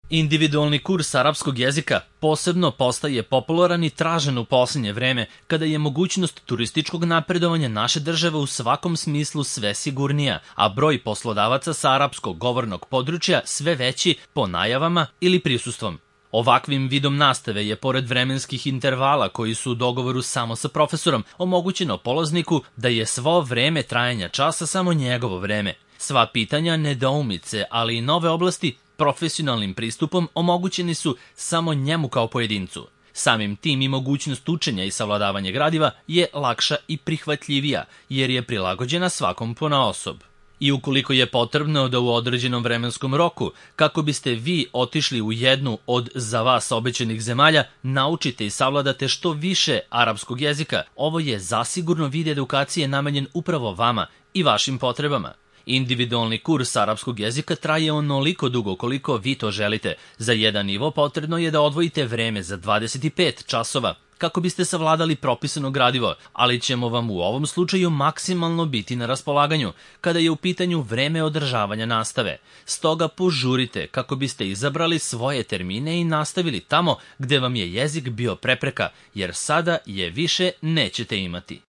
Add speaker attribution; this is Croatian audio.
Speaker 1: Individualni kurs arapskog jezika posebno postaje popularan i tražen u posljednje vreme, kada je mogućnost turističkog napredovanja naše države u svakom smislu sve sigurnija, a broj poslodavaca sa arapskog govornog područja sve veći po najavama ili prisustvom. Ovakvim vidom nastave je, pored vremenskih intervala koji su u dogovoru samo sa profesorom, omogućeno polazniku da je svo vreme trajanja časa samo njegovo vreme. Sva pitanja, nedoumice, ali i nove oblasti profesionalnim pristupom omogućeni su samo njemu kao pojedincu. Samim tim i mogućnost učenja i savladavanja gradiva je lakša i prihvatljivija, jer je prilagođena svakom ponaosob. I ukoliko je potrebno da u određenom vremenskom roku, kako biste vi otišli u jednu od za vas obećanih zemalja, naučite i savladate što više arapskog jezika, ovo je zasigurno vid edukacije namenjen upravo vama i vašim potrebama. Individualni kurs arapskog jezika traje onoliko dugo koliko vi to želite. Za jedan nivo potrebno je da odvojite vreme za 25 časova kako biste savladali propisano gradivo, ali ćemo vam u ovom slučaju maksimalno biti na raspolaganju kada je u pitanju vreme održavanja nastave. Stoga požurite kako biste izabrali svoje termine i nastavili tamo gde vam je jezik bio prepreka, jer sada je više nećete imati.